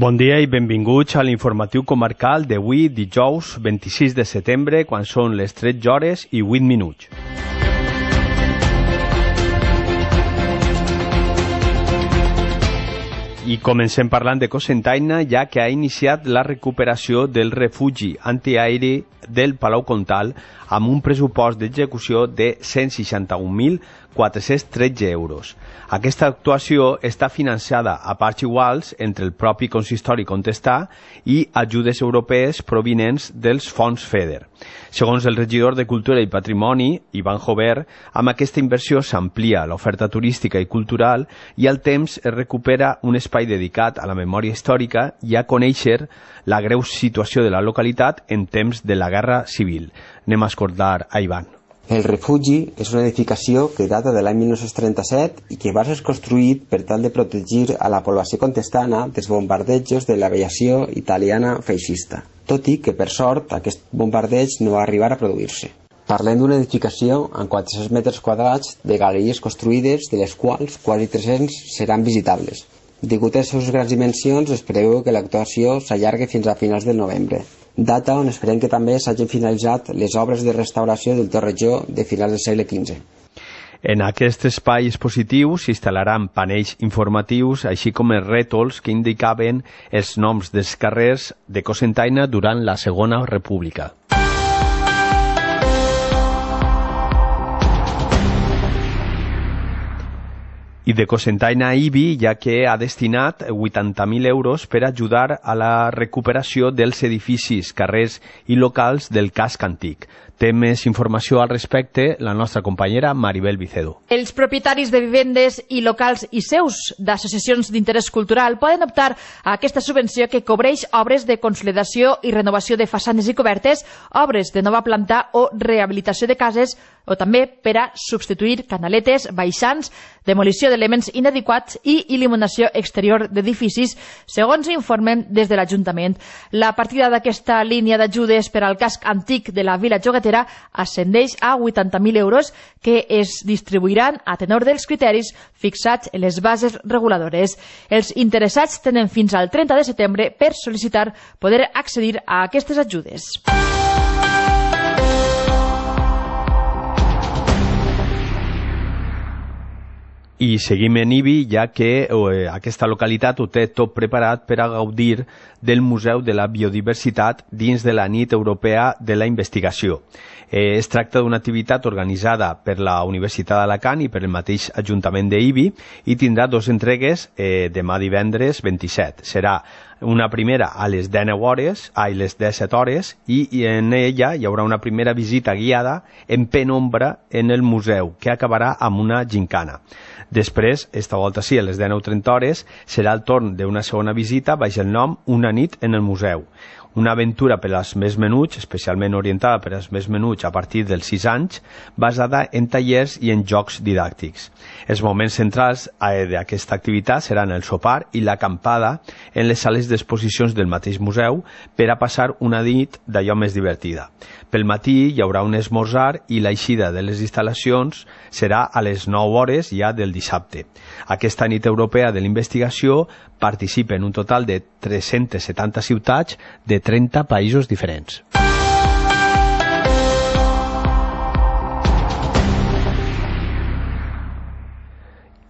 Bon dia i benvinguts a l'informatiu comarcal d'avui, dijous 26 de setembre, quan són les 13 hores i 8 minuts. I comencem parlant de Cocentaina, ja que ha iniciat la recuperació del refugi antiaeri del Palau Comtal amb un pressupost d'execució de 161.413 euros. Aquesta actuació està financiada a parts iguals entre el propi consistori contestà i ajudes europees provinents dels fons FEDER. Segons el regidor de Cultura i Patrimoni, Ivan Jover, amb aquesta inversió s'amplia l'oferta turística i cultural i al temps es recupera un espai dedicat a la memòria històrica i a conèixer la greu situació de la localitat en temps de la Guerra Civil. Anem a escoltar a Ivan. El refugi és una edificació que data de l'any 1937 i que va ser construït per tal de protegir a la població contestana dels bombardejos de l'aviació italiana feixista, tot i que, per sort, aquest bombardeig no va arribar a produir-se. Parlem d'una edificació amb 400 metres quadrats de galeries construïdes, de les quals quasi 300 seran visitables. Degut a les seves grans dimensions, es preveu que l'actuació s'allargui fins a finals de novembre, data on esperem que també s'hagin finalitzat les obres de restauració del torrejó de finals del segle XV. En aquest espai expositiu s'instal·laran panells informatius, així com els rètols que indicaven els noms dels carrers de Cocentaina durant la Segona República. I de Cocentaina a Ibi, ja que ha destinat 80.000 euros per ajudar a la recuperació dels edificis, carrers i locals del casc antic. Té més informació al respecte la nostra companyera Maribel Vicedo. Els propietaris de vivendes i locals i seus d'associacions d'interès cultural poden optar a aquesta subvenció que cobreix obres de consolidació i renovació de façanes i cobertes, obres de nova planta o rehabilitació de cases, o també per a substituir canaletes, baixants, demolició d'elements inadequats i il·luminació exterior d'edificis, segons informen des de l'Ajuntament. La partida d'aquesta línia d'ajudes per al casc antic de la Vila Joguetera ascendeix a 80.000 euros que es distribuiran a tenor dels criteris fixats en les bases reguladores. Els interessats tenen fins al 30 de setembre per sol·licitar poder accedir a aquestes ajudes. I seguim en Ibi, ja que aquesta localitat ho té tot preparat per a gaudir del Museu de la Biodiversitat dins de la Nit Europea de la Investigació. Es tracta d'una activitat organitzada per la Universitat d'Alacant i per el mateix Ajuntament d'Ibi i tindrà dues entregues demà divendres 27. Serà una primera a les 19 hores, les 17 hores, i en ella hi haurà una primera visita guiada en penombra en el museu, que acabarà amb una gincana. Després, esta volta sí, a les 19:30 hores, serà el torn d'una segona visita baix el nom Una nit en el museu. Una aventura per als més menuts, especialment orientada per als més menuts a partir dels 6 anys, basada en tallers i en jocs didàctics. Els moments centrals d'aquesta activitat seran el sopar i l'acampada en les sales d'exposicions del mateix museu per a passar una nit d'allò més divertida. Pel matí hi haurà un esmorzar i l'eixida de les instal·lacions serà a les 9 hores ja del dissabte. Aquesta nit europea de la investigació participa en un total de 370 ciutats de 30 països diferents.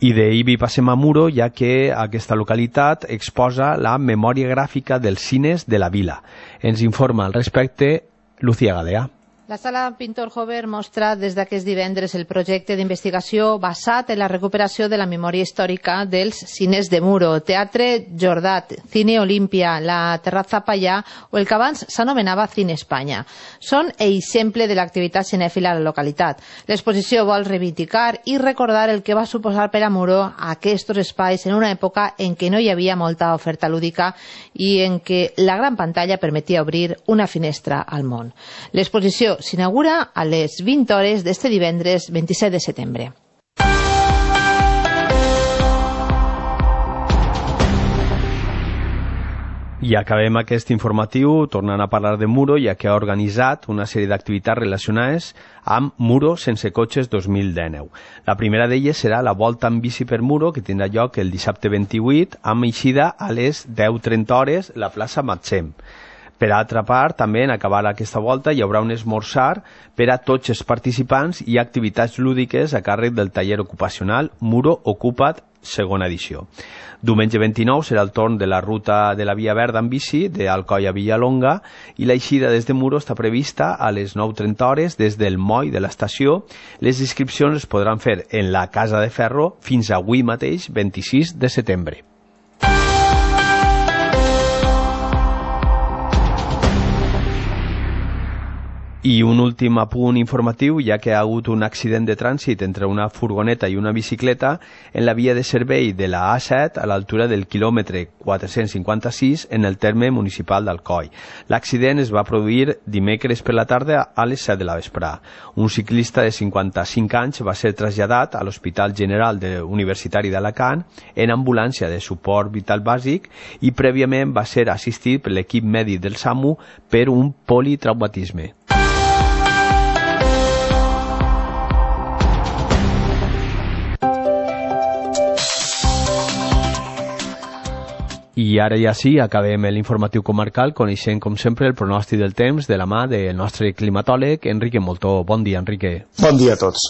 I d'Ibi passem a Muro, ja que aquesta localitat exposa la memòria gràfica dels cines de la vila. Ens informa al respecte Lucía Gadea. La Sala Pintor Jover mostra des d'aquest divendres el projecte d'investigació basat en la recuperació de la memòria històrica dels cines de Muro, Teatre Jordat, Cine Olímpia, la Terrazza Pallà o el que abans s'anomenava Cine Espanya. Són exemple de l'activitat cinèfila a la localitat. L'exposició vol reivindicar i recordar el que va suposar per a Muro aquests espais en una època en què no hi havia molta oferta lúdica i en què la gran pantalla permetia obrir una finestra al món. L'exposició s'inaugura a les 20 hores d'este divendres 27 de setembre. I acabem aquest informatiu tornant a parlar de Muro, ja que ha organitzat una sèrie d'activitats relacionades amb Muro sense cotxes 2019. La primera d'elles serà la volta en bici per Muro, que tindrà lloc el dissabte 28, amb eixida a les 10:30 hores a la plaça Matsem. Per altra part, també en acabar aquesta volta hi haurà un esmorzar per a tots els participants i activitats lúdiques a càrrec del taller ocupacional Muro Ocupa't, segona edició. Diumenge 29 serà el torn de la ruta de la Via Verda en bici d'Alcoi a Villalonga i l'eixida des de Muro està prevista a les 9:30 hores des del moll de l'estació. Les inscripcions es podran fer en la Casa de Ferro fins avui mateix, 26 de setembre. I un últim apunt informatiu, ja que ha hagut un accident de trànsit entre una furgoneta i una bicicleta en la via de servei de la A7 a l'altura del quilòmetre 456 en el terme municipal d'Alcoi. L'accident es va produir dimecres per la tarda a les 7 de la vesprà. Un ciclista de 55 anys va ser traslladat a l'Hospital General Universitari d'Alacant en ambulància de suport vital bàsic i prèviament va ser assistit per l'equip mèdic del SAMU per un politraumatisme. I ara ja sí, acabem l'informatiu comarcal coneixent, com sempre, el pronòstic del temps de la mà del nostre climatòleg, Enrique Moltó. Bon dia, Enrique. Bon dia a tots.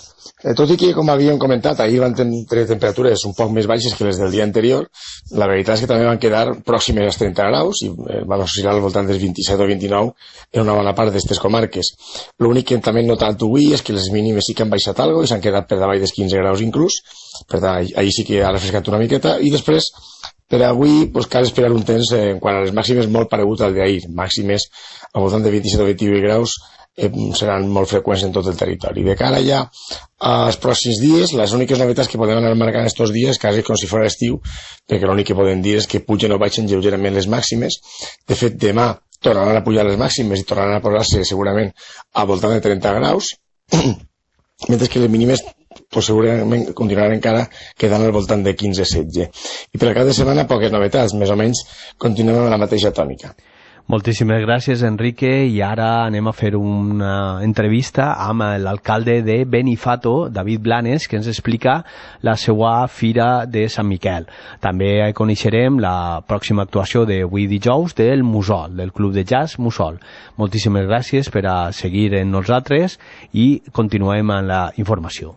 Tot i que, com havíem comentat, ahir van tenir temperatures un poc més baixes que les del dia anterior, la veritat és que també van quedar pròximes als 30 graus i van oscil·lar al voltant dels 27 o 29 en una bona part d'aquestes comarques. L'únic que també hem notat avui és que les mínimes sí que han baixat alguna i s'han quedat per davall dels 15 graus inclús, per tant, ahir sí que ha refrescat una miqueta, i després per avui cal esperar un temps quan a les màximes molt paregut al d'ahir, màximes al voltant de 27 o 28 graus seran molt freqüents en tot el territori. De cara ja als pròxims dies, les úniques novetats que podem anar marcant estos dies, quasi com si fos estiu, perquè l'únic que podem dir és que pugen o baixen lleugerament les màximes. De fet, demà tornaran a pujar les màximes i tornaran a posar-se segurament al voltant de 30 graus, mentre que les mínimes segurament continuaran encara quedant al voltant de 15-16. I per al cap de setmana poques novetats, més o menys continuem amb la mateixa tònica. Moltíssimes gràcies, Enrique, i ara anem a fer una entrevista amb l'alcalde de Benifato, David Blanes, que ens explica la seva fira de Sant Miquel. També coneixerem la pròxima actuació d'avui dijous del Mussol, del Club de Jazz Mussol. Moltíssimes gràcies per a seguir en nosaltres i continuem amb la informació.